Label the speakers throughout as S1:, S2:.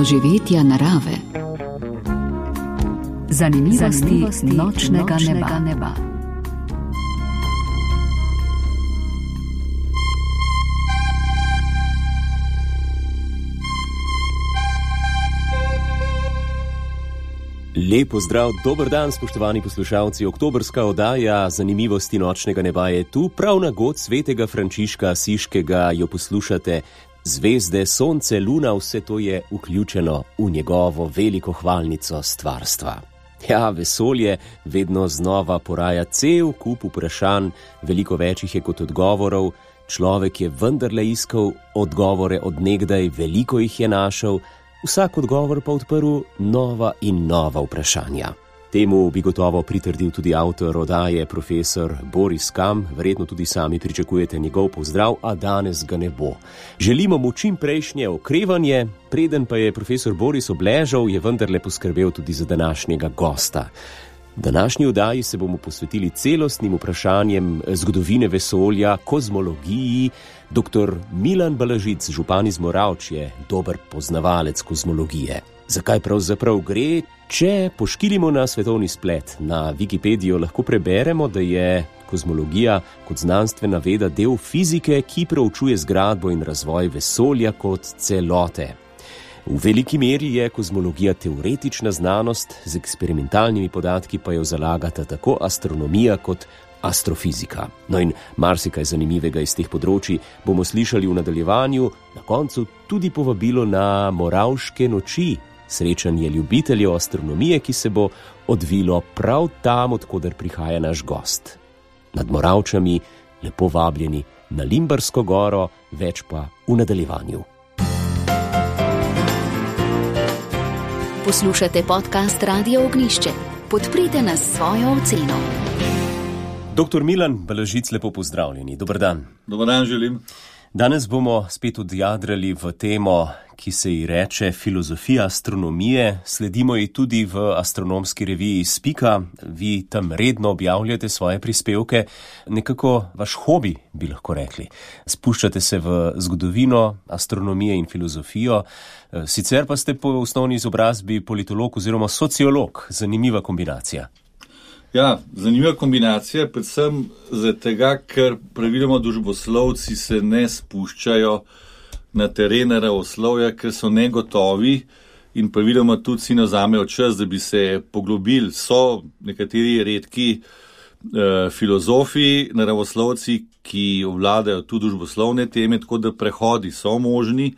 S1: doživetja narave. Zanimivosti nočnega neba.
S2: Lep pozdrav, dober dan, spoštovani poslušalci. Oktobrska oddaja Zanimivosti nočnega neba je tu, prav na god svetega Frančiška Asiškega jo poslušate. Zvezde, sonce, luna, vse to je vključeno v njegovo veliko hvalnico stvarstva. Ja, vesolje vedno znova poraja cel kup vprašanj, veliko več jih je kot odgovorov. Človek je vendarle iskal odgovore od nekdaj, veliko jih je našel, vsak odgovor pa odprl nova in nova vprašanja. Temu bi gotovo pritrdil tudi avtor oddaje, profesor Boris Kam. Verjetno tudi sami pričakujete njegov pozdrav, a danes ga ne bo. Želimo mu čim prejšnje okrevanje, preden pa je profesor Boris obležal, je vendarle poskrbel tudi za današnjega gosta. Današnji oddaji se bomo posvetili celostnim vprašanjem zgodovine vesolja, kozmologiji. Dr. Milan Balažic, župan iz Moravč, je dober poznavalec kozmologije. Zakaj pravzaprav gre? Če poškilimo na svetovni splet, na Wikipedijo lahko preberemo, da je kozmologija kot znanstvena veda del fizike, ki proučuje zgradbo in razvoj vesolja kot celote. V veliki meri je kozmologija teoretična znanost, z eksperimentalnimi podatki pa jo zalagata tako astronomija kot astrofizika. No in marsikaj zanimivega iz teh področij bomo slišali v nadaljevanju, na koncu tudi povabilo na Moravške noči, srečanje ljubiteljev astronomije, ki se bo odvilo prav tam, od koder prihaja naš gost. Nad Moravčami lepo vabljeni na Limbarsko goro, več pa v nadaljevanju.
S1: Poslušate podcast Radio Ognjišče. Podprite nas s svojo oceno.
S2: Dr. Milan Balažic, lepo pozdravljeni. Dober dan.
S3: Dober dan želim.
S2: Danes bomo spet odjadrali v temo, ki se ji reče filozofija astronomije. Sledimo ji tudi v astronomski reviji Spika. Vi tam redno objavljate svoje prispevke. Nekako vaš hobi, bi lahko rekli. Spuščate se v zgodovino astronomije in filozofijo. Sicer pa ste po osnovni izobrazbi politolog oziroma sociolog. Zanimiva kombinacija.
S3: Ja, zanimiva kombinacija, predvsem zato, ker praviloma družboslovci se ne spuščajo na teren naravoslovja, ker so negotovi in praviloma tudi si ne vzamejo čas, da bi se poglobili. So nekateri redki filozofi, naravoslovci, ki obvladajo tudi družboslovne teme, tako da prehodi so možni,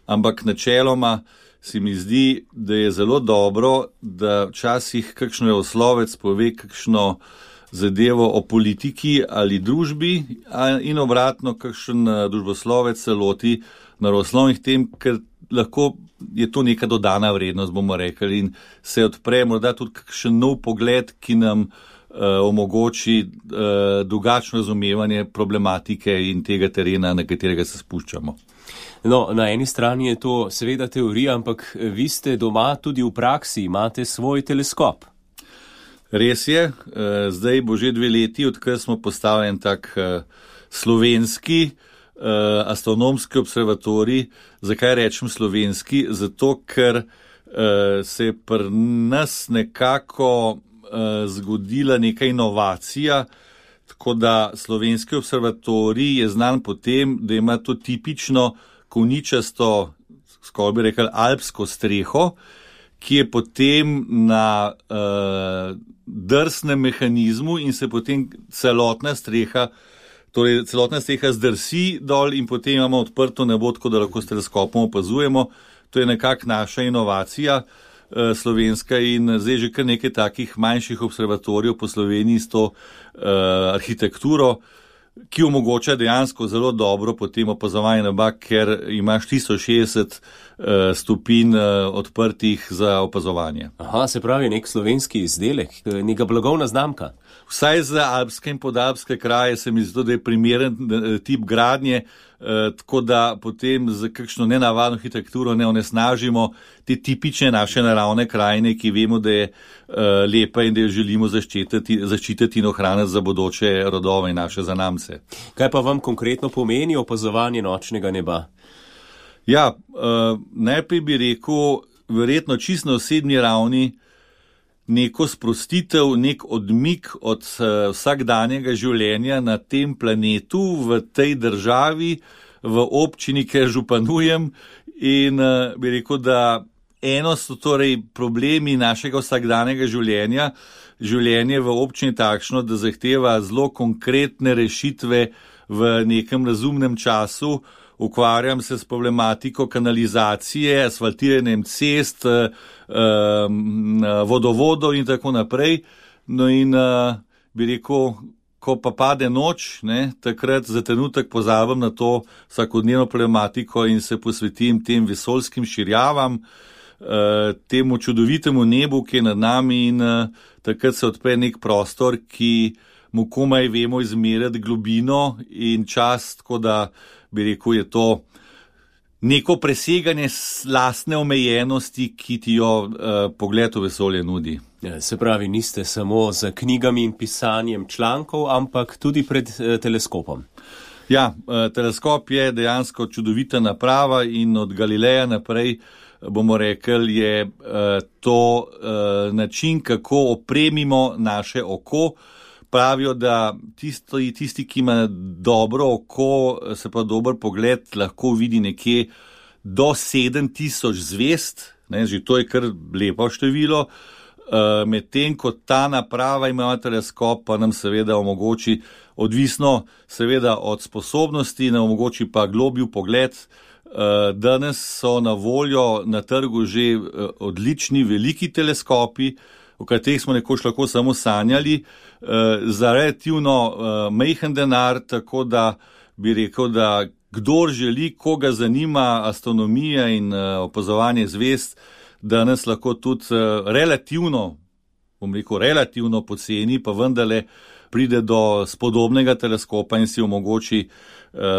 S3: ampak načeloma se mi zdi, da je zelo dobro, da včasih kakšen naravoslovec pove kakšno zadevo o politiki ali družbi in obratno kakšen družboslovec se loti naravoslovnih tem, ker lahko je to neka dodana vrednost, bomo rekli, in se odpre morda tudi kakšen nov pogled, ki nam omogoči drugačno razumevanje problematike in tega terena, na katerega se spuščamo.
S2: No, na eni strani je to seveda teorija, ampak vi ste doma tudi v praksi, imate svoj teleskop.
S3: Res je, zdaj bo že 2 leti, odkar smo postavili en tak slovenski astronomski observatorij. Zakaj rečem slovenski? Zato, ker se je pri nas nekako zgodila neka inovacija, tako da slovenski observatorij je znan po tem, da ima to tipično koničasto, skoraj bi rekel, alpsko streho, ki je potem na drsnem mehanizmu in se potem celotna streha zdrsi dol in potem imamo odprto nebo, tako da lahko s teleskopom opazujemo. To je nekako naša inovacija slovenska in zdaj že kar nekaj takih manjših observatorijev po Sloveniji s to arhitekturo, ki omogoča dejansko zelo dobro potem opazovanje neba, ker imaš 360 stopinj odprtih za opazovanje.
S2: Aha, se pravi nek slovenski izdelek, neka blagovna znamka.
S3: Vsaj za alpske in podalpske kraje se mi zdi, da je primeren tip gradnje, tako da potem z kakšno nenavadno arhitekturo ne onesnažimo te tipične naše naravne krajine, ki vemo, da je lepa in da jo želimo zaščititi in ohraniti za bodoče rodove in naše zanamce.
S2: Kaj pa vam konkretno pomeni opazovanje nočnega neba?
S3: Ja, najprej bi rekel, verjetno čisto na osebni ravni, neko sprostitev, nek odmik od vsakdanjega življenja na tem planetu, v tej državi, v občini, kjer županujem, in bi rekel, da eno so torej problemi našega vsakdanjega življenja. Življenje v občini takšno, da zahteva zelo konkretne rešitve v nekem razumnem času. Ukvarjam se s problematiko kanalizacije, asfaltiranjem cest, vodovodov in tako naprej. No in bi rekel, ko pa pade noč, takrat za trenutek pozabim na to vsakodnevno problematiko in se posvetim tem vesoljskim širjavam, temu čudovitemu nebu, ki je nad nami, in takrat se odpre nek prostor, ki mu komaj vemo izmeriti globino in čas, tako da bi rekel, je to neko preseganje lastne omejenosti, ki ti jo pogled v vesolje nudi.
S2: Se pravi, niste samo za knjigami in pisanjem člankov, ampak tudi pred teleskopom.
S3: Ja, teleskop je dejansko čudovita naprava in od Galileja naprej, bomo rekli, je to način, kako opremimo naše oko. Pravijo, da tisti, ki ima dobro oko, se pa dober pogled, lahko vidi nekje do 7000 zvezd, že to je kar lepo število, medtem ko ta naprava ima teleskop, pa nam seveda omogoči, odvisno seveda od sposobnosti, nam omogoči pa globji pogled. Danes so na voljo na trgu že odlični veliki teleskopi, o katerih smo nekoč lahko samo sanjali, za relativno majhen denar, tako da bi rekel, da kdor želi, koga zanima astronomija in opazovanje zvezd, danes lahko tudi relativno poceni, pa vendarle pride do spodobnega teleskopa in si omogoči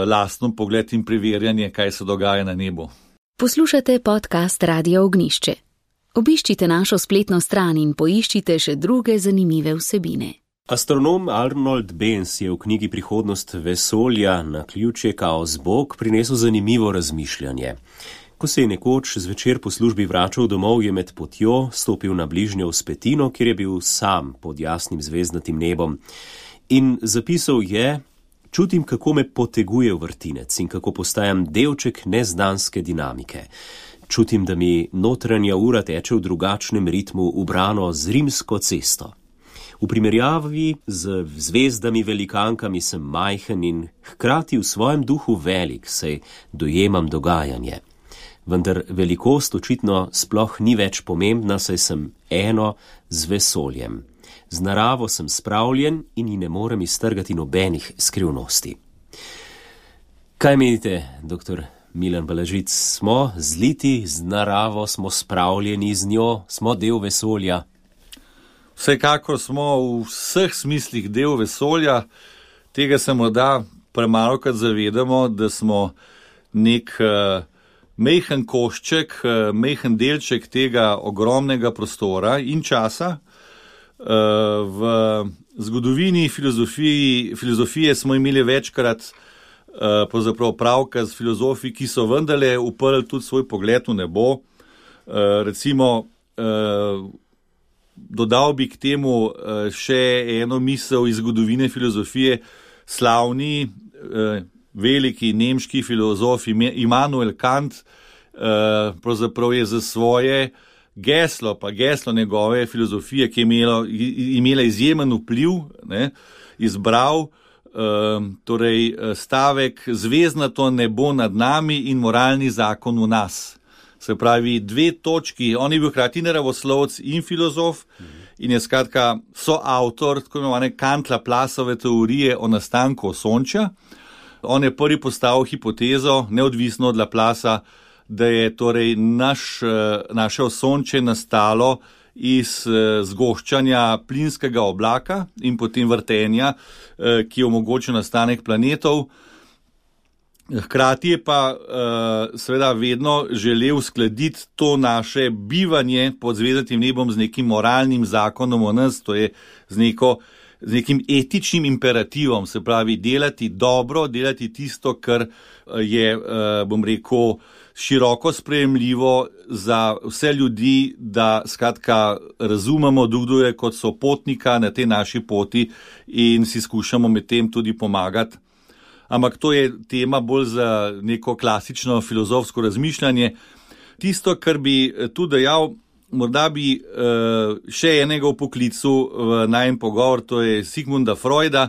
S3: lasten pogled in preverjanje, kaj se dogaja na nebu.
S1: Poslušate podcast Radio Ognjišče. Obiščite našo spletno stran in poiščite še druge zanimive vsebine.
S2: Astronom Arnold Benz je v knjigi Prihodnost vesolja na ključje Kaos Bog prinesel zanimivo razmišljanje. Ko se je nekoč zvečer po službi vračal domov, je med potjo stopil na bližnjo vzpetino, kjer je bil sam pod jasnim zvezdnatim nebom. In zapisal je: čutim, kako me poteguje vrtinec in kako postajam delček neznanske dinamike. Čutim, da mi notranja ura teče v drugačnem ritmu, ubrano z rimsko cesto. V primerjavi z zvezdami velikankami sem majhen in hkrati v svojem duhu velik, saj dojemam dogajanje. Vendar velikost očitno sploh ni več pomembna, saj sem eno z vesoljem. Z naravo sem spravljen in ji ne morem iztrgati nobenih skrivnosti. Kaj menite, doktor Milan Balažic? Smo zliti z naravo, smo spravljeni z njo, smo del vesolja?
S3: Vsekakor smo v vseh smislih del vesolja. Tega se morda premalokrat zavedamo, da smo nek majhen košček, majhen delček tega ogromnega prostora in časa. V zgodovini filozofije smo imeli večkrat pravzaprav pravka z filozofi, ki so vendarle uprli tudi svoj pogled v nebo. Recimo, dodal bi k temu še eno misel iz zgodovine filozofije. Slavni, veliki nemški filozof Immanuel Kant pravzaprav je za svoje geslo njegove filozofije, ki je imela izjemen vpliv, izbral torej stavek: zvezdnato nebo nad nami in moralni zakon v nas. Se pravi, dve točki. On je bil hkrati naravoslovec in filozof in je skratka soavtor tako imenovane Kant-Laplaceove teorije o nastanku Osončja. On je prvi postavil hipotezo, neodvisno od Laplaca, da je torej naše Osončje nastalo iz zgoščanja plinskega oblaka in potem vrtenja, ki omogoča nastanek planetov. Hkrati je pa seveda vedno želel uskladiti to naše bivanje pod zvezdnatim nebom z nekim moralnim zakonom o nas, to je z neko z nekim etičnim imperativom, se pravi delati dobro, delati tisto, kar je, bom rekel, široko sprejemljivo za vse ljudi, da skratka razumemo drugega kot sopotnika na tej naši poti in si skušamo med tem tudi pomagati. Ampak to je tema bolj za neko klasično filozofsko razmišljanje. Tisto, kar bi tu dejal, morda bi še enega v poklicu v najin pogovor, to je Sigmunda Freuda.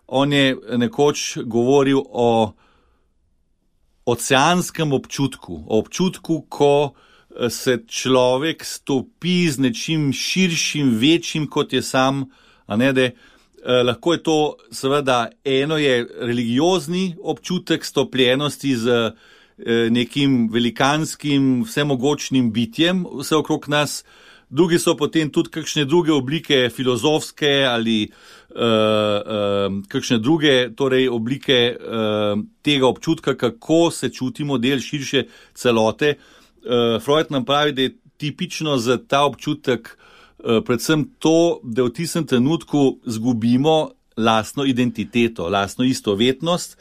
S3: On je nekoč govoril o oceanskem občutku, o občutku, ko se človek stopi z nečim širšim, večjim, kot je sam, a ne da lahko je to, seveda, eno je religiozni občutek stopljenosti z nekim velikanskim, vsemogočnim bitjem vse okrog nas, drugi so potem tudi kakšne druge oblike filozofske ali kakšne druge torej oblike tega občutka, kako se čutimo del širše celote. Freud nam pravi, da je tipično za ta občutek predvsem to, da v tistem trenutku zgubimo lastno identiteto, lastno istovetnost,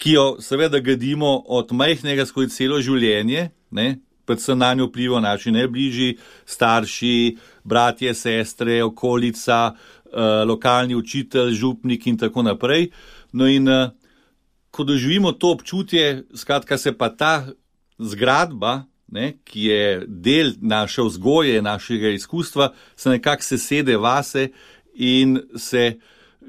S3: ki jo seveda gradimo od majhnega skozi celo življenje, ne? Predvsem na njo vplivajo naši najbližji, starši, bratje, sestre, okolica, lokalni učitelj, župnik in tako naprej. No in ko doživimo to občutje, skratka se pa ta zgradba, ne, ki je del naše vzgoje, našega izkustva, se nekako sesede vase in se,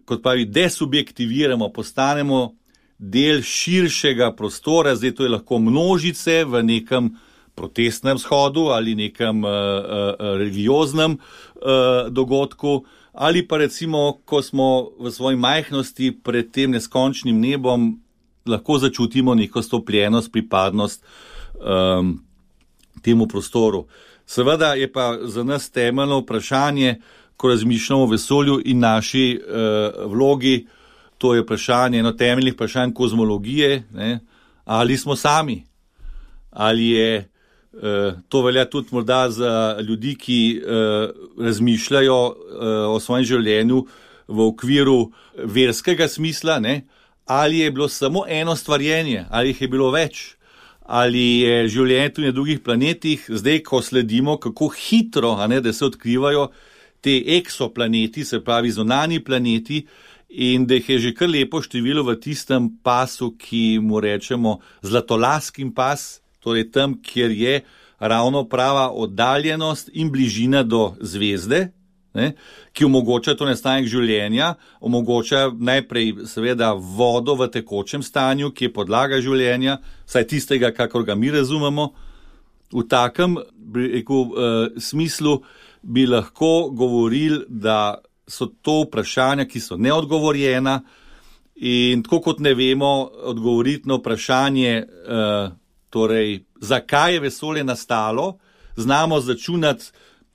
S3: kot pravi, desubjektiviramo, postanemo del širšega prostora, zdaj to je lahko množice v nekem protestnem shodu ali nekem religioznem dogodku, ali pa recimo, ko smo v svoji majhnosti pred tem neskončnim nebom, lahko začutimo neko stopljenost, pripadnost temu prostoru. Seveda je pa za nas temeljno vprašanje, ko razmišljamo o vesolju in naši vlogi, to je vprašanje, eno temeljnih vprašanj kozmologije, ne? Ali smo sami, ali je, to velja tudi morda za ljudi, ki razmišljajo o svojem življenju v okviru verskega smisla, ne? Ali je bilo samo eno stvarjenje, ali jih je bilo več, ali je življenje tudi na drugih planetih, zdaj, ko sledimo, kako hitro, a ne, da se odkrivajo te eksoplaneti, se pravi zunanji planeti, in da jih je že kar lepo število v tistem pasu, ki mu rečemo zlatolaskin pas, torej tam, kjer je ravno prava oddaljenost in bližina do zvezde, ne, ki omogoča to nastanek življenja, omogoča najprej seveda vodo v tekočem stanju, ki je podlaga življenja, vsaj tistega, kakor ga mi razumemo. V takem smislu bi lahko govorili, da so to vprašanja, ki so neodgovorjena, in tako kot ne vemo odgovoriti na vprašanje, torej, zakaj je vesolje nastalo, znamo začunati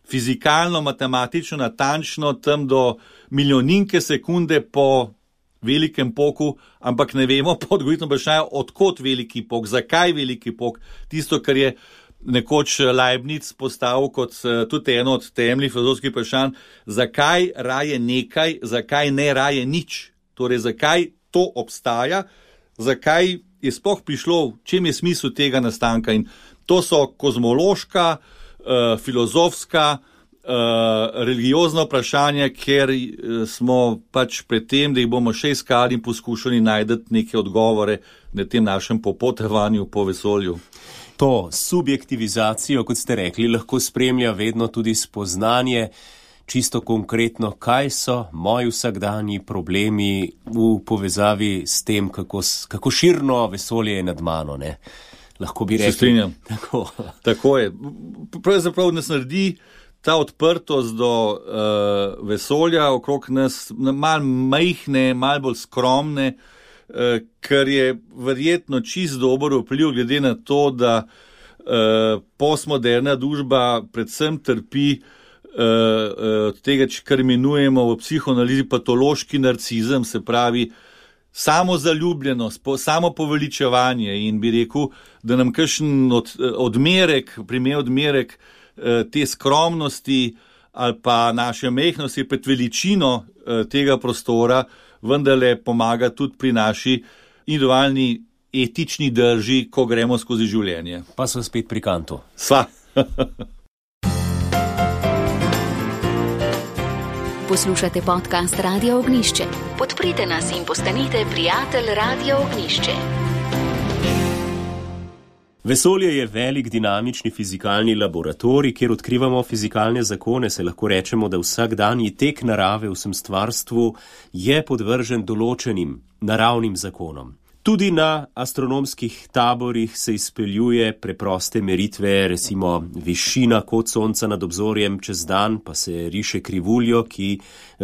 S3: fizikalno, matematično, natančno, tam do milijoninke sekunde po velikem poku, ampak ne vemo po odgovoriti vprašanje, odkot veliki pok, zakaj veliki pok, tisto, kar je nekoč Leibniz postavil kot tudi eno od temeljnih filozofskih vprašanj, zakaj raje nekaj, zakaj ne raje nič, torej zakaj to obstaja, zakaj je sploh prišlo, v čem je smisel tega nastanka, in to so kozmološka, filozofska, religiozna vprašanja, ker smo pač pred tem, da jih bomo še iskali in poskušali najti neke odgovore na tem našem popotovanju po vesolju.
S2: To subjektivizacijo, kot ste rekli, lahko spremlja vedno tudi spoznanje, čisto konkretno, kaj so moji vsakdanji problemi v povezavi s tem, kako širno vesolje je nad mano, ne? Lahko bi rekli.
S3: Se strinjam. Tako je. Pravzaprav nas naredi ta odprtost do vesolja okrog nas malo majhne, malo bolj skromne, kar je verjetno čist dober vpliv glede na to, da postmoderna družba predvsem trpi od tega, kar imenujemo v psihoanalizi patološki narcizem, se pravi samozaljubljenost, samopoveličevanje, in bi rekel, da nam kakšen odmerek te skromnosti ali pa naša majhnost je pred veličino tega prostora vendarle pomaga tudi pri naši individualni etični drži, ko gremo skozi življenje.
S2: Pa so spet pri Kantu.
S3: Sva.
S1: Poslušate podcast Radia Ognjišče. Podprite nas in postanite prijatelj Radia Ognjišče.
S2: Vesolje je velik dinamični fizikalni laboratorij, kjer odkrivamo fizikalne zakone, se lahko rečemo, da vsakdanji tek narave v vsem stvarstvu je podvržen določenim naravnim zakonom. Tudi na astronomskih taborih se izpeljuje preproste meritve, recimo višina kot sonca nad obzorjem čez dan, pa se riše krivuljo, ki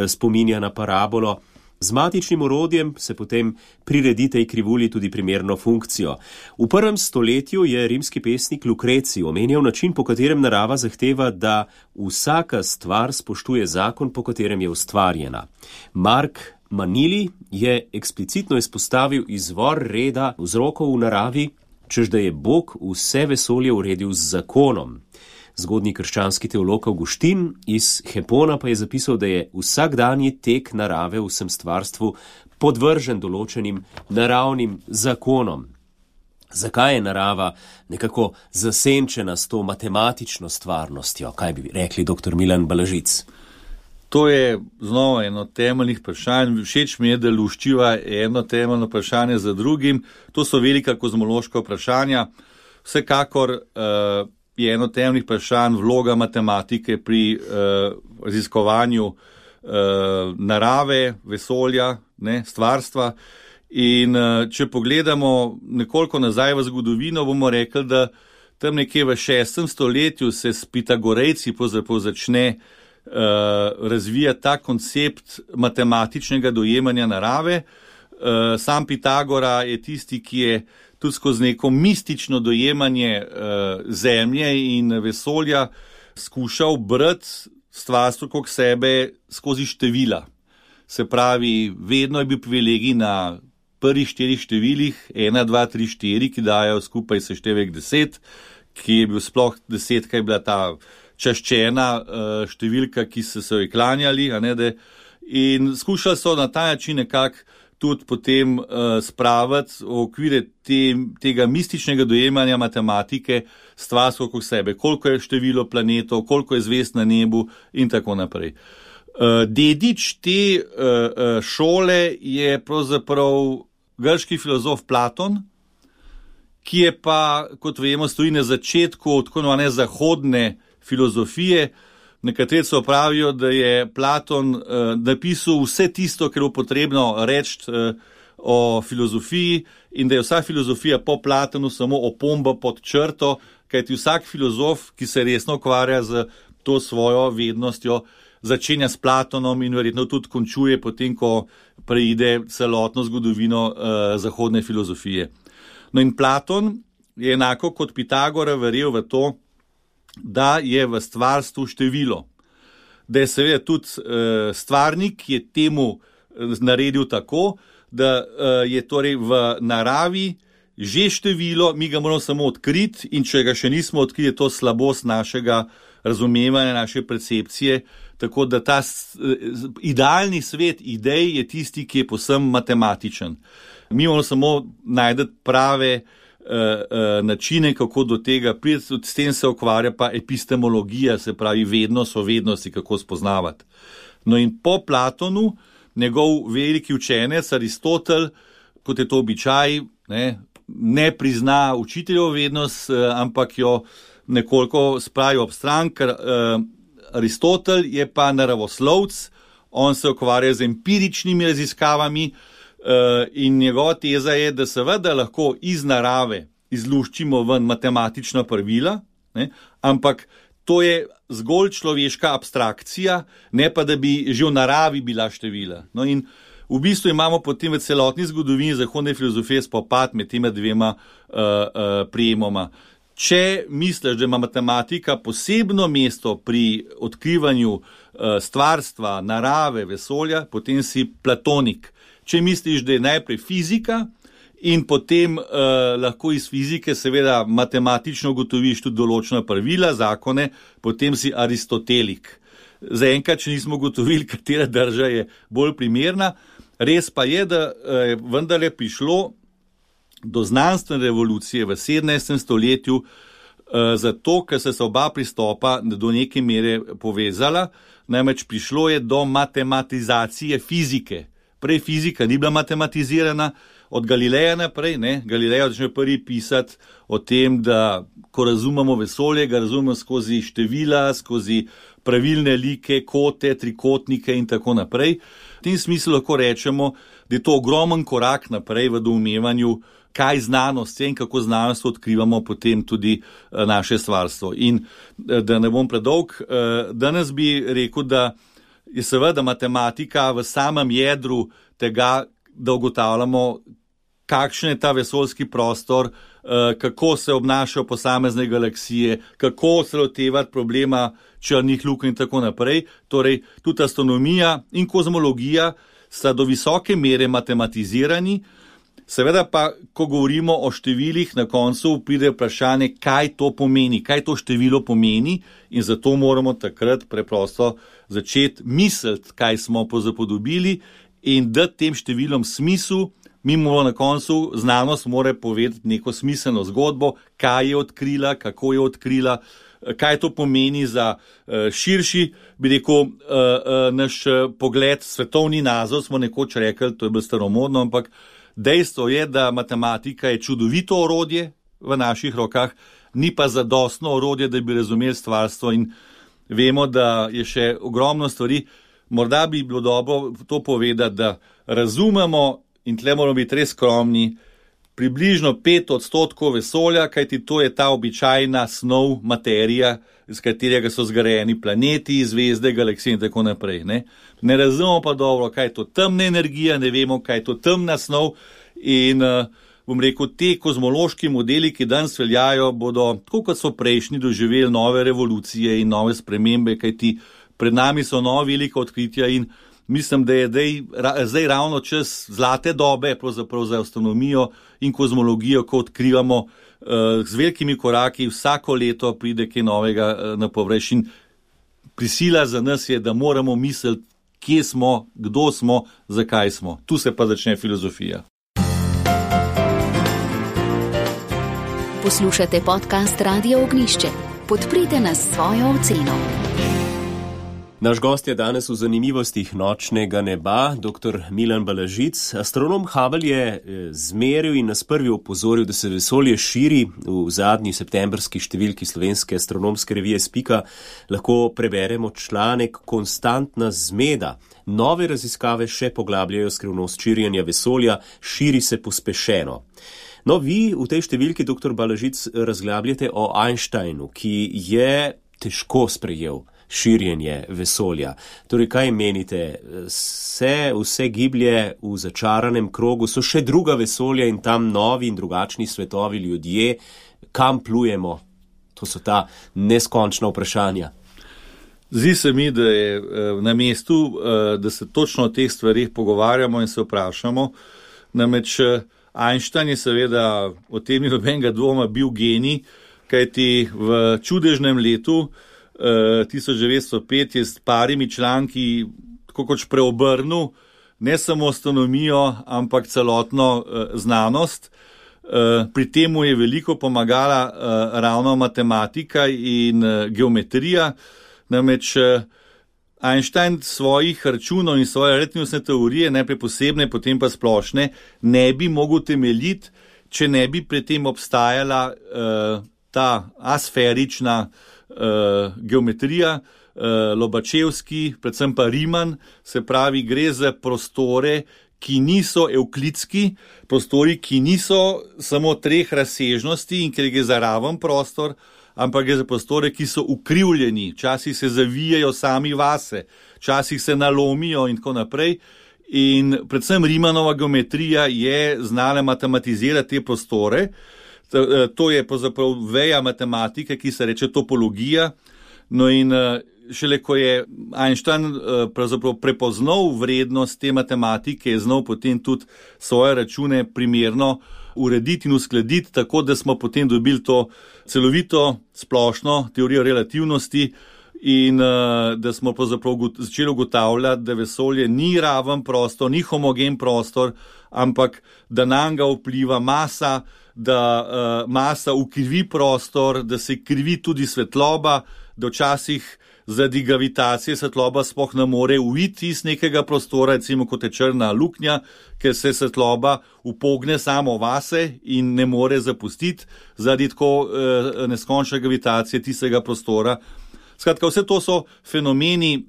S2: spominja na parabolo. Z matičnim orodjem se potem priredi tej krivulji tudi primerno funkcijo. V 1. stoletju je rimski pesnik Lucreci omenjal način, po katerem narava zahteva, da vsaka stvar spoštuje zakon, po katerem je ustvarjena. Mark Manili je eksplicitno izpostavil izvor reda vzrokov v naravi, čež da je Bog vse vesolje uredil z zakonom. Zgodnji krščanski teolog Avguštin iz Hepona pa je zapisal, da je vsakdanji tek narave v vsem stvarstvu podvržen določenim naravnim zakonom. Zakaj je narava nekako zasenčena s to matematično stvarnostjo? Kaj bi rekli dr. Milan Balažic?
S3: To je znova eno temeljnih vprašanj. Všeč mi je, da luščiva eno temeljno vprašanje za drugim. To so velika kozmološka vprašanja. Vsekakor je eno temeljnih vprašanj vloga matematike pri raziskovanju narave, vesolja, stvarstva. In če pogledamo nekoliko nazaj v zgodovino, bomo rekli, da tam nekje v 6. stoletju se s Pitagorejci začne razvija ta koncept matematičnega dojemanja narave. Sam Pitagora je tisti, ki je tudi skozi neko mistično dojemanje zemlje in vesolja skušal brati stvarstvo kot sebe skozi števila. Se pravi, vedno je bil privilegij na prvih 4 številih, 1, 2, 3, 4, ki dajo skupaj seštevek 10, ki je bil sploh 10, kaj je bila ta čaščena številka, ki so se jo klanjali, in skušali so na ta način nekako tudi potem spraviti v okvire tega mističnega dojemanja matematike stvarstvo kot sebe, koliko je število planetov, koliko je zvezd na nebu in tako naprej. Dedič te šole je pravzaprav grški filozof Platon, ki je pa, kot vemo, stoji na začetku tako zahodne filozofije. Nekateri so pravijo, da je Platon napisal vse tisto, kar je potrebno reči o filozofiji in da je vsa filozofija po Platonu samo opomba pod črto, kajti vsak filozof, ki se resno ukvarja z to svojo vednostjo, začenja s Platonom in verjetno tudi končuje potem, ko preide celotno zgodovino zahodne filozofije. No in Platon je enako kot Pitagora verjel v to, da je v stvarstvu število. Da je seveda tudi stvarnik, ki je temu naredil tako, da je torej v naravi že število, mi ga moramo samo odkriti in če ga še nismo odkrili, je to slabost našega razumevanja, naše percepcije, tako da ta idealni svet idej je tisti, ki je povsem matematičen. Mi moramo samo najti prave načine, kako do tega priti, s tem se ukvarja pa epistemologija, se pravi vednost o vednosti, kako spoznavati. No in po Platonu, njegov veliki učenec Aristotel, kot je to običaj, ne prizna učiteljevo vednost, ampak jo nekoliko spravi ob stran, ker Aristotel je pa naravoslovec, on se ukvarja z empiričnimi raziskavami, in njegova teza je, da seveda lahko iz narave izluščimo ven matematična pravila, ampak to je zgolj človeška abstrakcija, ne pa da bi že v naravi bila števila. No in v bistvu imamo potem v celotni zgodovini zahodne filozofije spopad med tema dvema prijemoma. Če misliš, da ima matematika posebno mesto pri odkrivanju stvarstva, narave, vesolja, potem si platonik. Če misliš, da je najprej fizika in potem lahko iz fizike seveda matematično ugotoviš tudi določena pravila, zakone, potem si aristotelik. Zaenkrat, če nismo ugotovili, katera drža je bolj primerna. Res pa je, da je vendarle prišlo do znanstvene revolucije v 17. stoletju, zato, ker se oba pristopa do neke mere povezala, namreč prišlo je do matematizacije fizike. Prej fizika ni bila matematizirana, od Galileja naprej, Galilej začne prvi pisati o tem, da ko razumemo vesolje, ga razumemo skozi števila, skozi pravilne like, kote, trikotnike in tako naprej. V tem smislu lahko rečemo, da je to ogromen korak naprej v doumevanju, kaj znanost je in kako znanost odkrivamo potem tudi naše stvarstvo. In da ne bom predolg, danes bi rekel, da je seveda matematika v samem jedru tega, da ugotavljamo, kakšen je ta vesoljski prostor, kako se obnašajo posamezne galaksije, kako se lotevati problema črnih luk in tako naprej. Torej, tudi astronomija in kozmologija sta do visoke mere matematizirani. Seveda pa, ko govorimo o številih, na koncu pride vprašanje, kaj to pomeni, kaj to število pomeni, in zato moramo takrat preprosto začeti misliti, kaj smo pozapodobili in dati tem številom smisel. Mi moramo na koncu, znanost mora povedati neko smiselno zgodbo, kaj je odkrila, kako je odkrila, kaj to pomeni za širši, bi rekel, naš pogled, svetovni nazor, smo nekoč rekli, to je bilo staromodno, ampak dejstvo je, da matematika je čudovito orodje v naših rokah, ni pa zadostno orodje, da bi razumeli stvarstvo, in vemo, da je še ogromno stvari. Morda bi bilo dobro to povedati, da razumemo, in tle moramo biti res skromni, približno 5% vesolja, kajti to je ta običajna snov, materija, iz katerega so zgrajeni planeti, zvezde, galaksije in tako naprej. Ne razumemo pa dobro, kaj je to temna energija, ne vemo, kaj je to temna snov, in bom rekel, te kozmološki modeli, ki danes veljajo, bodo, tako kot so prejšnji, doživeli nove revolucije in nove spremembe, kajti pred nami so nova velika odkritja in mislim, da je zdaj ravno čas zlate dobe pravzaprav za astronomijo in kozmologijo, ko odkrivamo z velikimi koraki, vsako leto pride kaj novega na površje. In prisila za nas je, da moramo misliti, kje smo, kdo smo, zakaj smo. Tu se pa začne filozofija.
S1: Poslušate podcast Radio Ognišče. Podprite nas s svojo oceno.
S2: Naš gost je danes v zanimivostih nočnega neba, dr. Milan Balažic. Astronom Hubble je zmeril in nas prvi opozoril, da se vesolje širi. V zadnji septembrski številki slovenske astronomske revije Spika lahko preberemo članek Konstantna zmeda. Nove raziskave še poglabljajo skrivnost širjenja vesolja, širi se pospešeno. No, vi v tej številki, dr. Balažic, razglabljate o Einsteinu, ki je težko sprejel širjenje vesolja. Torej, kaj menite? Vse giblje v začaranem krogu, so še druga vesolja in tam novi in drugačni svetovi, ljudje, kam plujemo? To so ta neskončna vprašanja.
S3: Zdi se mi, da je na mestu, da se točno o teh stvarih pogovarjamo in se vprašamo. Namreč Einstein je seveda, o tem ni nobenega dvoma, bil genij, kajti v čudežnem letu 1905 je s parimi članki tako kot preobrnil ne samo astronomijo, ampak celotno znanost. Pri temu je veliko pomagala ravno matematika in geometrija. Namreč Einstein svojih računov in svoje relativnostne teorije, najprej posebne, potem pa splošne, ne bi mogel temeljiti, če ne bi pri tem obstajala ta asferična geometrija, Lobačevski, predvsem pa Riemann, se pravi, gre za prostore, ki niso evklidski, prostori, ki niso samo 3 razsežnosti in ker gre za raven prostor, ampak gre za prostore, ki so ukrivljeni, včasih se zavijajo sami vase, včasih se nalomijo in tako naprej. In predvsem Riemannova geometrija je znala matematizirati te prostore. To je pravzaprav veja matematike, ki se reče topologija. No in šele ko je Einstein pravzaprav prepoznal vrednost te matematike, je znal potem tudi svoje račune primerno urediti in uskladiti, tako da smo potem dobili to celovito splošno teorijo relativnosti in da smo pravzaprav začeli ugotavljati, da vesolje ni raven prostor, ni homogen prostor, ampak da nanj ga vpliva masa, da masa ukrivi prostor, da se krivi tudi svetloba, da včasih zaradi gravitacije svetloba sploh ne more uiti iz nekega prostora, recimo kot je črna luknja, ker se svetloba upogne samo vase in ne more zapustiti zaradi tako neskončne gravitacije tistega prostora. Skratka, vse to so fenomeni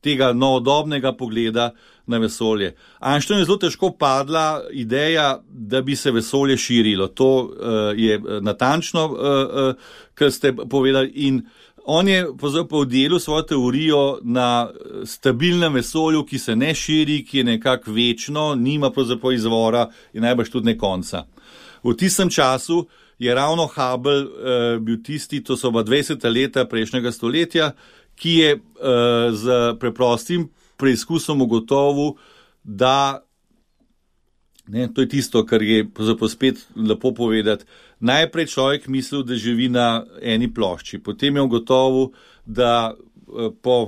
S3: tega novodobnega pogleda na vesolje. Einsteinu je zelo težko padla ideja, da bi se vesolje širilo. To je natančno, kar ste povedali, in on je povdelil svojo teorijo na stabilnem vesolju, ki se ne širi, ki je nekako večno, nima pravzaprav izvora in najbrž tudi ne konca. V tistem času je ravno Hubble bil tisti, to so 20. leta prejšnjega stoletja, ki je z preprostim preizkusom ugotovil, da, ne, to je tisto, kar je spet lepo povedati, najprej človek mislil, da živi na eni plošči, potem je ugotovil, da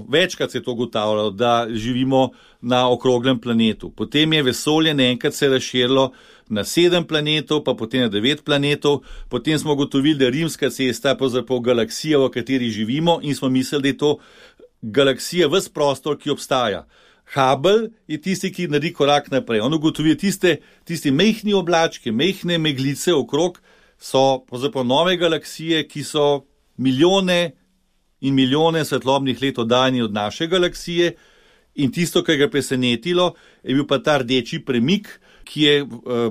S3: večkrat se je to ugotavljalo, da živimo na okroglem planetu. Potem je vesolje naenkrat se razširilo na 7 planetov, pa potem na 9 planetov, potem smo ugotovili, da je rimska cesta pravzaprav galaksija, v kateri živimo, in smo mislili, da je to galaksija ves prostor, ki obstaja. Hubble je tisti, ki naredi korak naprej. On ugotovi, tisti mehni oblački, mehne meglice okrog so pravzaprav nove galaksije, ki so milijone in milijone svetlobnih let oddaljeni od naše galaksije, in tisto, kar ga je presenetilo, je bil pa ta rdeči premik, ki je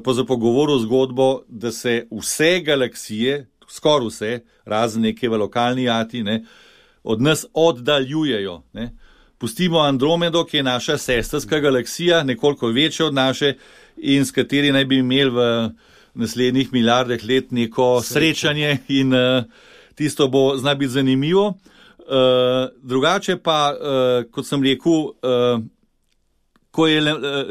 S3: pravzaprav govoril zgodbo, da se vse galaksije, skoraj vse, razen neke v lokalni ati, ne, od nas oddaljujejo. Ne. Pustimo Andromedo, ki je naša sestrska galaksija, nekoliko večja od naše in s kateri naj bi imeli v naslednjih milijardah let neko srečanje in tisto bo zna biti zanimivo. Drugače pa, kot sem rekel, ko je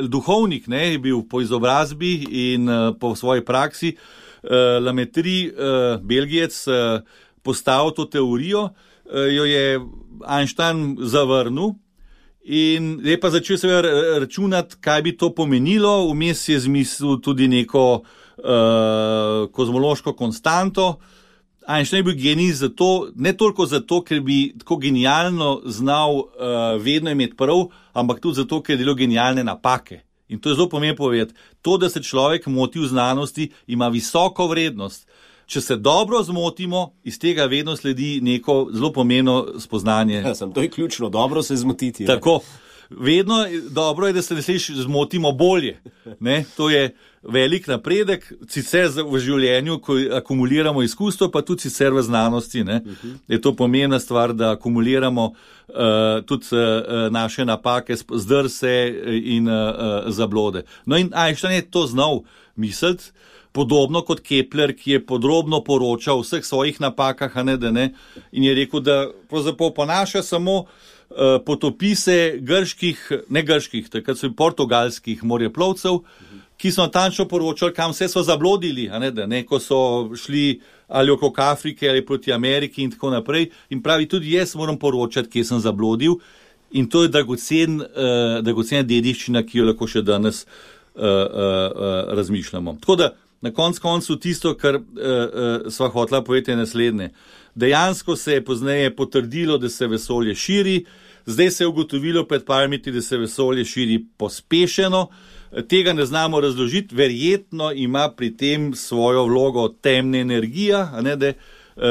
S3: duhovnik, ne, je bil po izobrazbi in po svoji praksi, Lametri, Belgijec, postavil to teorijo, jo je Einstein zavrnil in je pa začel se računati, kaj bi to pomenilo. Vmes je zmislil tudi neko kozmološko konstanto. Einstein je bil genij zato, ne toliko zato, ker bi tako genialno znal vedno imeti prav, ampak tudi zato, ker je delal genialne napake. In to je zelo pomembno povedati. To, da se človek moti v znanosti, ima visoko vrednost. Če se dobro zmotimo, iz tega vedno sledi neko zelo pomembno spoznanje.
S2: Ja, to je ključno, dobro se zmotiti.
S3: Tako, vedno dobro je, da se zmotimo bolje. Ne? To je velik napredek, sicer v življenju, ko akumuliramo izkustvo, pa tudi sicer v znanosti. Ne? Je to pomembna stvar, da akumuliramo tudi naše napake, zdrse in zablode. No in Einstein je to znal misliti, podobno kot Kepler, ki je podrobno poročal o vseh svojih napakah, in je rekel, da pravzaprav ponaša samo potopise takrat so portugalskih morjeplovcev, ki so natančno poročali, kam vse so zablodili, ko so šli ali okrog Afrike ali proti Ameriki in tako naprej. In pravi, tudi jaz moram poročati, kje sem zablodil, in to je dragocena dediščina, ki jo lahko še danes razmišljamo. Tako da na koncu tisto, kar sva hotela povedati, je naslednje. Dejansko se je pozneje potrdilo, da se vesolje širi, zdaj se je ugotovilo pred parmi leti, da se vesolje širi pospešeno. Tega ne znamo razložiti, verjetno ima pri tem svojo vlogo temna energija,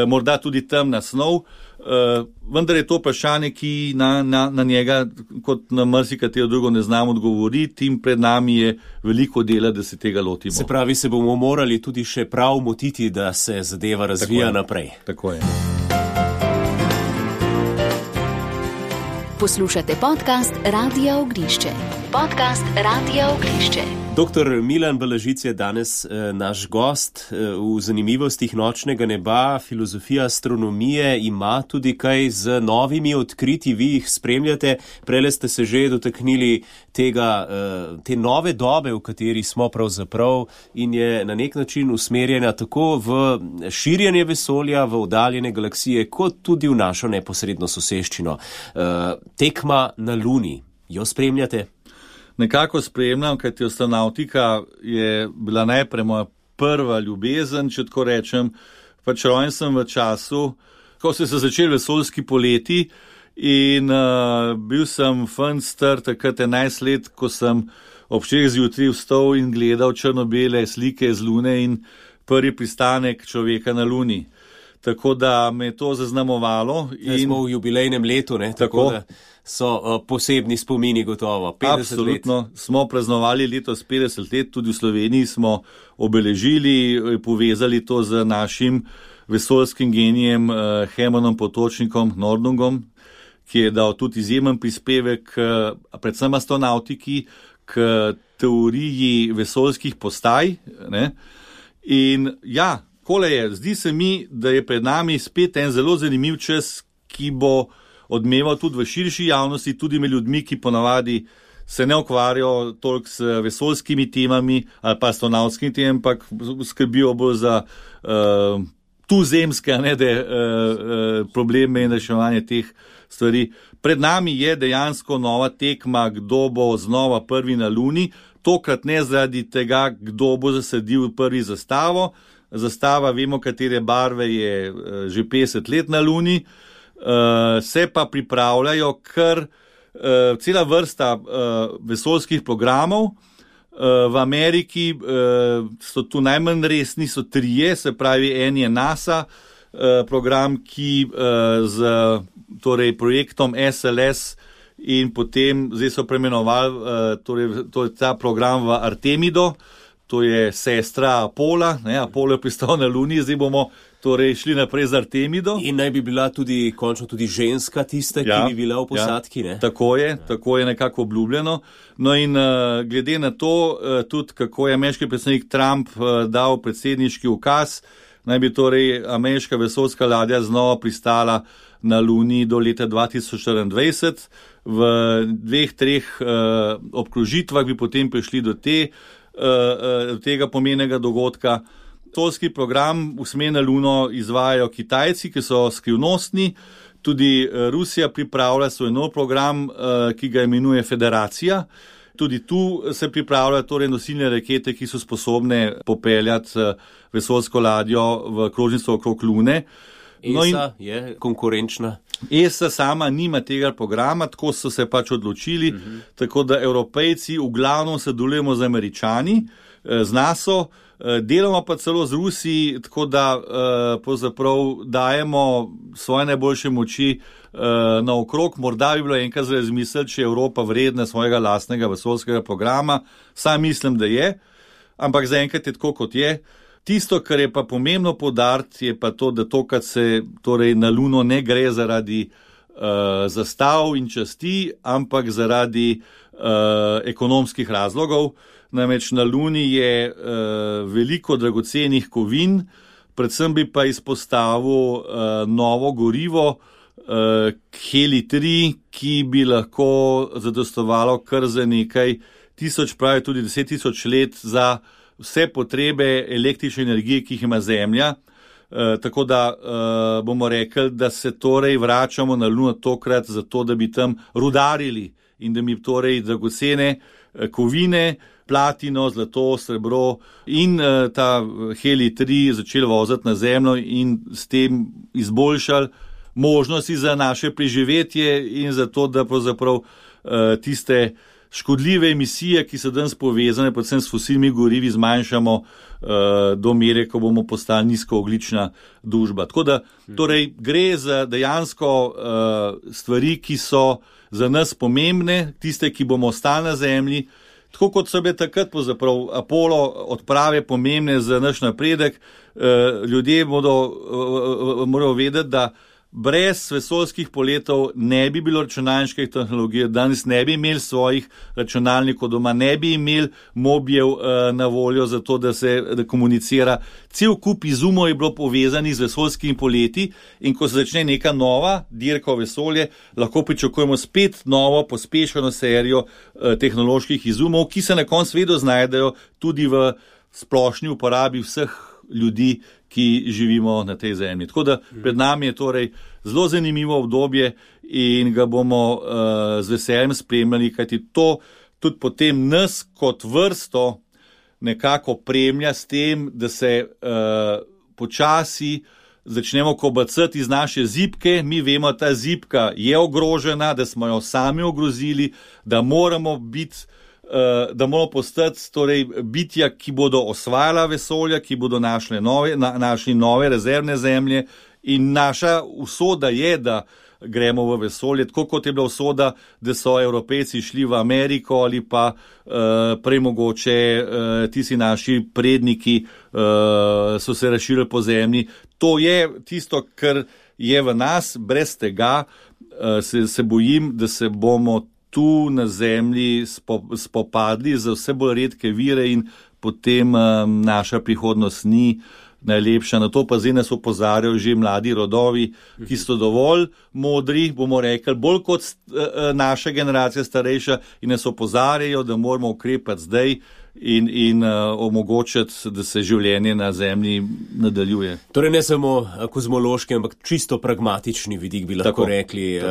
S3: morda tudi temna snov, vendar je to vprašanje, ki na njega, kot na marsikatero drugo, ne znamo odgovoriti, in pred nami je veliko dela, da se tega lotimo.
S2: Se pravi, se bomo morali tudi še prav motiti, da se zadeva razvija naprej.
S3: Tako je.
S1: Poslušate podcast Radia Ognišče. Podcast Radia Ognišče.
S2: Doktor Milan Balažic je danes naš gost v zanimivostih nočnega neba. Filozofija astronomije ima tudi kaj z novimi odkritji, vi jih spremljate. Prele ste se že dotaknili te nove dobe, v kateri smo pravzaprav, in je na nek način usmerjena tako v širjenje vesolja, v oddaljene galaksije, kot tudi v našo neposredno soseščino. Tekma na Luni, jo spremljate?
S3: Nekako spremljam, kajti astronautika je bila najprej moja prva ljubezen, če tako rečem. Pač rojen sem v času, ko so se začeli vesoljski poleti in bil sem fant star takrat 11 let, ko sem ob 6 zjutraj vstal in gledal črno-bele slike z Lune in prvi pristanek človeka na Luni. Tako da me je to zaznamovalo.
S2: Smo v jubilejnem letu, ne? Tako da so posebni spomini gotovo. 50
S3: Absolutno.
S2: Let.
S3: Smo praznovali letos 50 let, tudi v Sloveniji smo obeležili, povezali to z našim vesoljskim genijem Hermanom Potočnikom Nordlungom, ki je dal tudi izjemen prispevek predvsem astronautiki k teoriji vesoljskih postaj. Ne? In ja, kole je, zdi se mi, da je pred nami spet en zelo zanimiv čas, ki bo odmeval tudi v širši javnosti, tudi med ljudmi, ki ponavadi se ne ukvarjajo toliko s vesoljskimi temami ali pa astronautskimi temami, ampak skrbijo bolj za tuzemske probleme in reševanje teh stvari. Pred nami je dejansko nova tekma, kdo bo znova prvi na Luni, tokrat ne zaradi tega, kdo bo zasadil prvi zastavo. Zastava, vemo, katere barve, je že 50 let na Luni. Se pa pripravljajo kar cela vrsta vesoljskih programov. V Ameriki so tu najmanj resni, so 3, se pravi, en je NASA program, ki z projektom SLS in potem, zdaj so preimenovali ta program v Artemido, to je sestra Apola, Apollo je pristal na Luni, zdaj bomo šli naprej z Artemido.
S2: In naj bi bila končno tudi ženska tista, ki bi bila v posadki, ne?
S3: Tako je nekako obljubljeno. No in glede na to, tudi kako je ameriški predsednik Trump dal predsedniški ukaz, naj bi ameriška vesoljska ladja znova pristala na Luni do leta 2024. V 2-3 obkrožitvah bi potem prišli do tega pomenega dogodka. Vesoljski program usmer na Luno izvajajo Kitajci, ki so skrivnostni, tudi Rusija pripravlja svoj nov program, ki ga imenuje Federacija. Tudi tu se pripravljajo nosilne rakete, ki so sposobne popeljati vesoljsko ladjo v krožnico okrog Lune.
S2: ESA je konkurenčna.
S3: ESA sama nima tega programa, tako so se pač odločili, tako da Evropejci v glavnem sodelujemo z Američani, z NATO, delamo pa celo z Rusiji, tako da pravzaprav dajemo svoje najboljše moči naokrog. Morda bi bilo enkrat za razmisliti, če je Evropa vredna svojega lastnega vesoljskega programa. Sam mislim, da je, ampak zaenkrat je tako, kot je. Tisto, kar je pa pomembno poudariti, je pa to, da tokrat se na Luno ne gre zaradi zastav in časti, ampak zaradi ekonomskih razlogov. Namreč na Luni je veliko dragocenih kovin, predvsem bi pa izpostavil novo gorivo, Heli-3, ki bi lahko zadostovalo kar za nekaj tisoč, pravi tudi 10.000 let za vse potrebe električne energije, ki jih ima Zemlja. Tako da bomo rekli, da se vračamo na Luno tokrat zato, da bi tam rudarili in da bi dragocene kovine, platino, zlato, srebro in ta Heli-3 začeli voziti na Zemljo in s tem izboljšali možnosti za naše preživetje in za to, da pravzaprav tiste škodljive emisije, ki so danes povezane predvsem s fosilnimi gorivi, zmanjšamo do mere, ko bomo postali nizkoogljična družba. Tako da gre za dejansko stvari, ki so za nas pomembne, tiste, ki bomo ostali na Zemlji. Tako kot so bile takrat pravzaprav Apollo odprave pomembne za naš napredek, ljudje morajo vedeti, da brez vesoljskih poletov ne bi bilo računalniške tehnologije, danes ne bi imeli svojih računalnikov doma, ne bi imeli mobijev na voljo za to, da komunicira. Cel kup izumov je bilo povezanih z vesoljskimi poleti in ko se začne neka nova dirka v vesolje, lahko pričakujemo spet novo pospešeno serijo tehnoloških izumov, ki se na koncu vedno znajdejo tudi v splošni uporabi vseh ljudi, ki živimo na tej zemlji. Tako da pred nami je torej zelo zanimivo obdobje in ga bomo z veseljem spremljali, kajti to tudi potem nas kot vrsto nekako premlja s tem, da se počasi začnemo kobacati iz naše zibke. Mi vemo, da ta zibka je ogrožena, da smo jo sami ogrozili, da moramo postati torej bitja, ki bodo osvajala vesolja, ki bodo našli nove rezervne zemlje in naša usoda je, da gremo v vesolje, tako kot je bila usoda, da so Evropejci šli v Ameriko ali pa prej mogoče tisti naši predniki so se razširili po zemlji. To je tisto, kar je v nas, brez tega se bojim, da se bomo tu na zemlji spopadli za vse bolj redke vire in potem naša prihodnost ni najlepša. Na to pa zdaj nas opozarjajo že mladi rodovi, ki so dovolj modri, bomo rekli, bolj kot naša generacija starejša in nas opozarjajo, da moramo ukrepati zdaj in omogočiti, da se življenje na zemlji nadaljuje.
S2: Torej ne samo kozmološki, ampak čisto pragmatični vidik bi lahko rekli.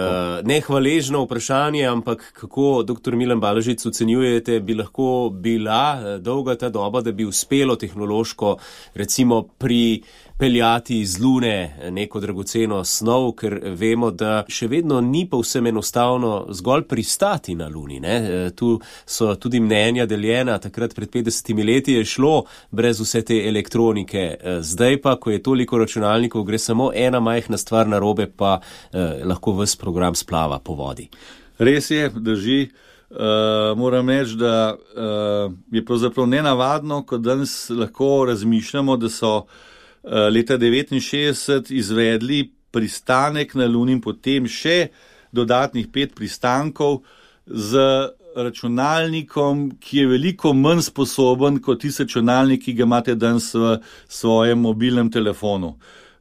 S2: Ne hvaležno vprašanje, ampak kako, dr. Milan Balažic, ocenjujete, bi lahko bila dolga ta doba, da bi uspelo tehnološko recimo pripeljati iz Lune neko dragoceno snov, ker vemo, da še vedno ni povsem enostavno zgolj pristati na Luni. Ne? Tu so tudi mnenja deljena, takrat pred 50 leti je šlo brez vse te elektronike. Zdaj pa, ko je toliko računalnikov, gre samo ena majhna stvar narobe, pa lahko ves program splava po vodi.
S3: Res je, drži. Moram reči, da je pravzaprav nenavadno, ko danes lahko razmišljamo, da so leta 1969 izvedli pristanek na Luni in potem še dodatnih 5 pristankov z računalnikom, ki je veliko manj sposoben kot tisti računalnik, ki ga imate danes v svojem mobilnem telefonu.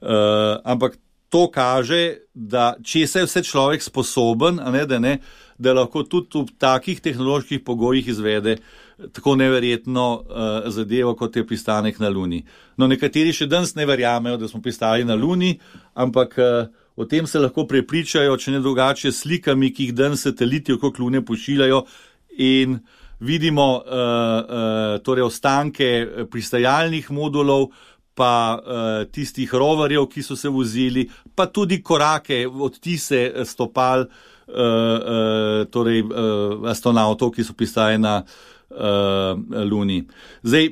S3: Ampak to kaže, da če je vse človek sposoben, da lahko tudi v takih tehnoloških pogojih izvede tako neverjetno zadevo, kot je pristanek na Luni. No, nekateri še danes ne verjamejo, da smo pristali na Luni, ampak o tem se lahko prepričajo, če ne drugače, slikami, ki jih danes sateliti okrog Lune pošiljajo in vidimo torej ostanke pristajalnih modulov, pa tistih roverjev, ki so se vozili, pa tudi korake, odtise stopal torej astronautov, ki so pristali na Luni. Zdaj,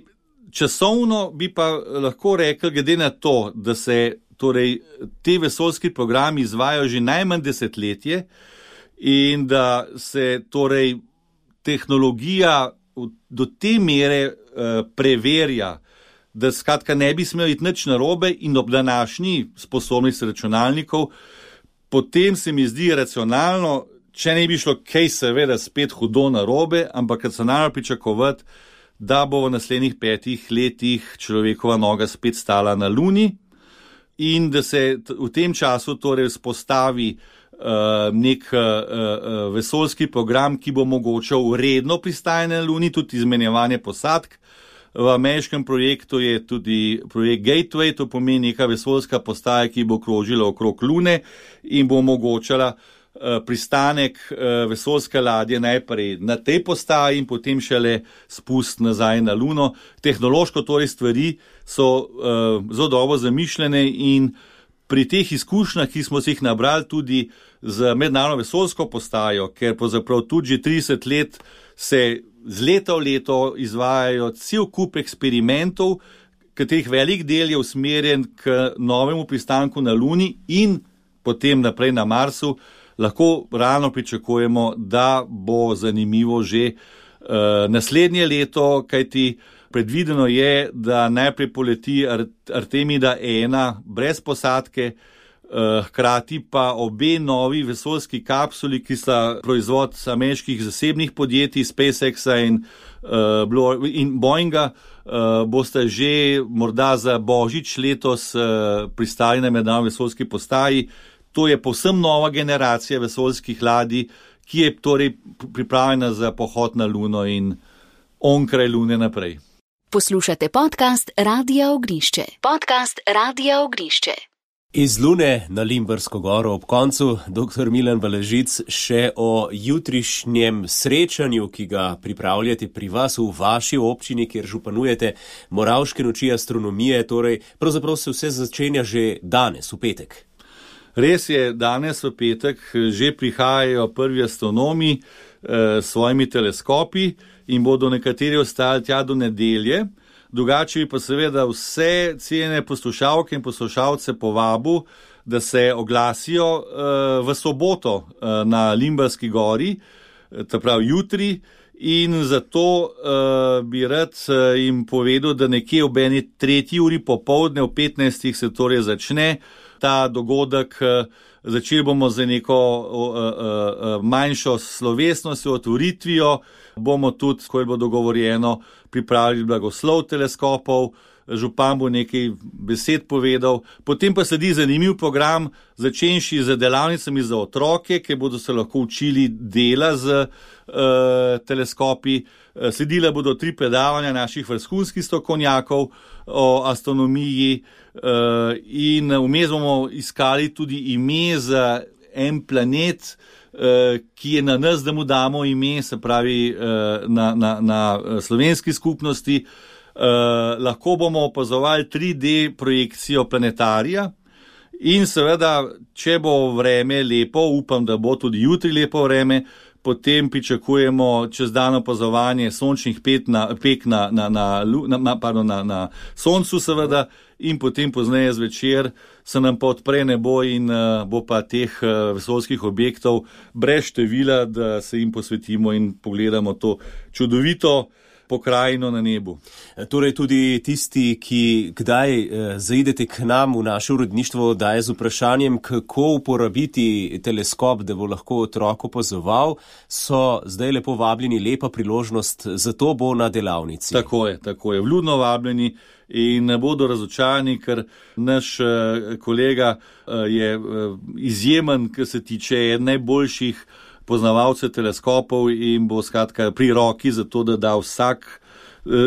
S3: časovno bi pa lahko rekli, glede na to, da se torej te vesoljski programi izvajajo že najmanj desetletje in da se torej tehnologija do te mere preverja, da skratka ne bi smel iti nič narobe in ob današnji sposobnosti računalnikov, potem se mi zdi racionalno, če ne bi šlo kaj seveda spet hudo narobe, ampak racionalno pričakovati, da bo v naslednjih 5 letih človekova noga spet stala na Luni in da se v tem času torej vzpostavi nek vesoljski program, ki bo omogočal redno pristajanje na Luni, tudi izmenjevanje posadk. V ameriškem projektu je tudi projekt Gateway, to pomeni neka vesoljska postaja, ki bo krožila okrog Lune in bo omogočala pristanek vesoljske ladje najprej na tej postaji in potem šele spust nazaj na Luno. Tehnološko torej stvari so zelo dobro zamišljene in pri teh izkušnjah, ki smo si jih nabrali tudi z mednarodno vesoljsko postajo, ker pravzaprav tudi že 30 let se z leta v leto izvajajo cel kup eksperimentov, katerih velik del je usmerjen k novemu pristanku na Luni in potem naprej na Marsu, lahko realno pričakujemo, da bo zanimivo že naslednje leto, kajti predvideno je, da najprej poleti Artemida 1 brez posadke hkrati pa obe novi vesoljski kapsuli, ki sta proizvod ameriških zasebnih podjetij SpaceX-a in Boeinga, boste že morda za božič letos pristali na mednarodni vesoljski postaji. To je povsem nova generacija vesoljskih ladij, ki je torej pripravljena za pohod na Luno in onkraj Lune naprej.
S1: Poslušate podcast Radia Ognišče.
S2: Iz Lune na Limbersko goro ob koncu, dr. Milan Balažic, še o jutrišnjem srečanju, ki ga pripravljate pri vas v vaši občini, kjer županujete, Moravške noči astronomije, torej pravzaprav se vse začenja že danes, v petek.
S3: Res je, danes v petek že prihajajo prvi astronomi s svojimi teleskopi in bodo nekateri ostali tja do nedelje. Drugače pa seveda vse cenjene poslušalke in poslušalce povabil, da se oglasijo v soboto na Limberski gori, to pravi jutri, in zato bi rad jim povedal, da nekje ob 3. uri popoldne, ob 15. se torej začne ta dogodek. Začeli bomo z neko manjšo slovesnostjo, otvoritvijo, bomo tudi, ko je bo dogovorjeno, pripravili blagoslov teleskopov, župan bo nekaj besed povedal, potem pa sledi zanimiv program, začenši z delavnicami za otroke, ki bodo se lahko učili dela z teleskopi, sledila bodo 3 predavanja naših vrhunskih strokovnjakov o astronomiji in vmes bomo iskali tudi ime za en planet, ki je na nas, da mu damo ime, se pravi na slovenski skupnosti. Lahko bomo opazovali 3D projekcijo planetarija in seveda, če bo vreme lepo, upam, da bo tudi jutri lepo vreme, potem pričakujemo čez dan opazovanje sončnih pek na soncu seveda in potem pozneje zvečer se nam pa odpre nebo in bo pa teh vesoljskih objektov brez števila, da se jim posvetimo in pogledamo to čudovito pokrajino na nebu.
S2: Torej tudi tisti, ki kdaj zaidete k nam v naše uredništvo, daje z vprašanjem, kako uporabiti teleskop, da bo lahko otrok opazoval, so zdaj lepo vabljeni, lepa priložnost, zato bo na delavnici.
S3: Tako je, vljudno vabljeni in ne bodo razočarani, ker naš kolega je izjemen, kar se tiče najboljših poznavalce teleskopov in bo skratka pri roki za to, da da vsak,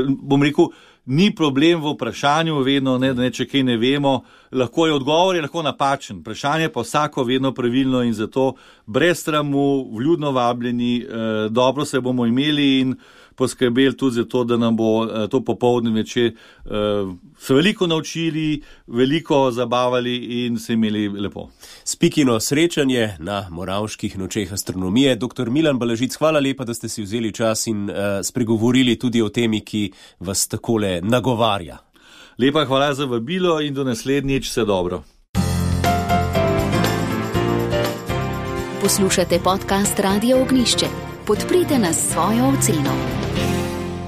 S3: bom rekel, ni problem v vprašanju vedno, ne, da če kaj ne vemo, lahko je odgovor, je lahko napačen, vprašanje pa vsako vedno pravilno in zato brez sramu, vljudno vabljeni, dobro se bomo imeli in poskrbeli tudi za to, da nam bo to popoldne večer se veliko naučili, veliko zabavali in se imeli lepo.
S2: Spikino srečanje na Moravških nočeh astronomije. Dr. Milan Balažic, hvala lepa, da ste si vzeli čas in spregovorili tudi o temi, ki vas takole nagovarja.
S3: Lepa hvala za vabilo in do naslednjič, vse dobro.
S1: Poslušate podcast Radia Ognišče. Podprite nas s svojo oceno.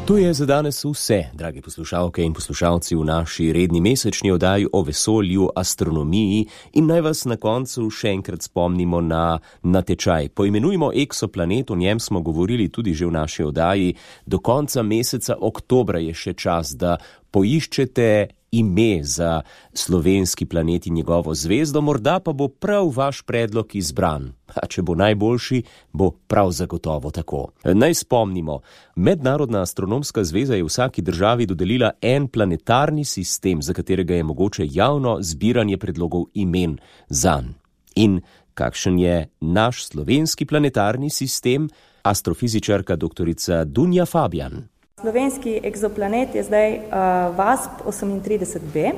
S2: To je za danes vse, dragi poslušalke in poslušalci, v naši redni mesečni oddaji o vesolju, astronomiji in naj vas na koncu še enkrat spomnimo na natečaj. Poimenujmo Eksoplanet, o njem smo govorili tudi že v naši oddaji. Do konca meseca oktobra je še čas, da poiščete ime za slovenski planet in njegovo zvezdo, morda pa bo prav vaš predlog izbran. A če bo najboljši, bo prav zagotovo tako. Naj spomnimo, Mednarodna astronomska zveza je vsaki državi dodelila en planetarni sistem, za katerega je mogoče javno zbiranje predlogov imen zanj. In kakšen je naš slovenski planetarni sistem? Astrofizičarka doktorica Dunja Fabijan.
S4: Slovenski eksoplanet je zdaj VASP 38b,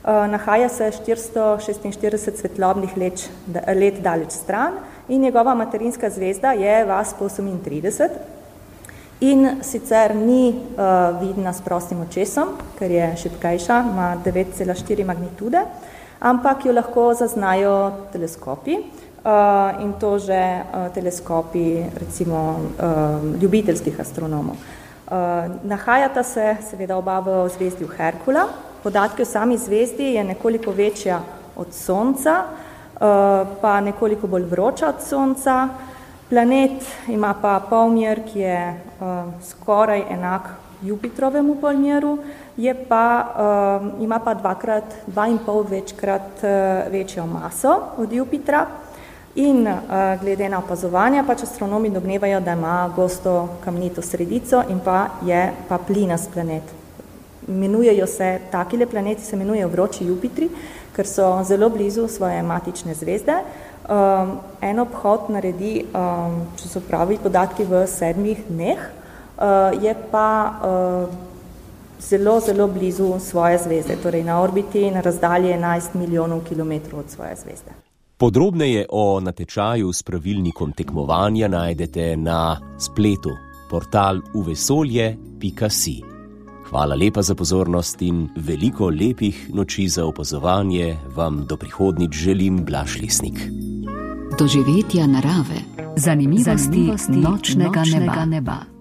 S4: nahaja se 446 svetlobnih let daleč stran in njegova materinska zvezda je VASP 38 in sicer ni vidna s prostim očesom, ker je šibkejša, ima 9,4 magnitude, ampak jo lahko zaznajo teleskopi in to že teleskopi recimo ljubiteljskih astronomov. Nahajata se seveda oba v zvezdju Herkula. Podatki o sami zvezdi je nekoliko večja od Sonca, pa nekoliko bolj vroča od Sonca. Planet ima pa polmer, ki je skoraj enak Jupitrovemu polmeru, ima pa 2,5 večkrat večjo maso od Jupitra in glede na opazovanja pač astronomi domnevajo, da ima gosto kamnito sredico in pa je pa plinast planet. Takile planeti se imenujejo vroči Jupitri, ker so zelo blizu svoje matične zvezde. En obhod naredi, če so pravi podatki, v 7 dneh, je pa zelo, zelo blizu svoje zvezde, torej na orbiti na razdalji 11 milijonov kilometrov od svoje zvezde.
S2: Podrobneje o natečaju s pravilnikom tekmovanja najdete na spletu portal uvesolje.si. Hvala lepa za pozornost in veliko lepih noči za opazovanje vam do prihodnjič želim Blaž Lesnik.
S1: Doživetja narave, zanimivosti nočnega neba.